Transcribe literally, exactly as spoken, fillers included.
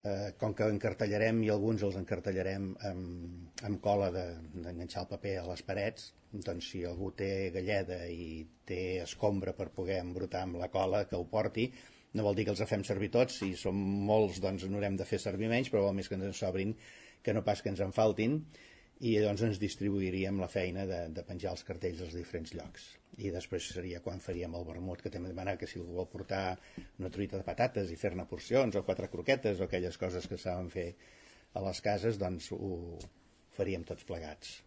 Eh, com que encartellarem i alguns els encartellarem amb, amb cola d'enganxar el paper a les parets, doncs si algú té galleda i té escombra per poder embrutar amb la cola, que ho porti. No vol dir que els fem servir tots, si som molts doncs n'haurem de fer servir menys, però vol més que ens en sobrin que no pas que ens en faltin, i doncs ens distribuiríem la feina de, de penjar els cartells als diferents llocs. I després seria quan faríem el vermut, que també demanar que si algú vol portar una truita de patates i fer-ne porcions, o quatre croquetes, o aquelles coses que saben fer a les cases, doncs ho faríem tots plegats.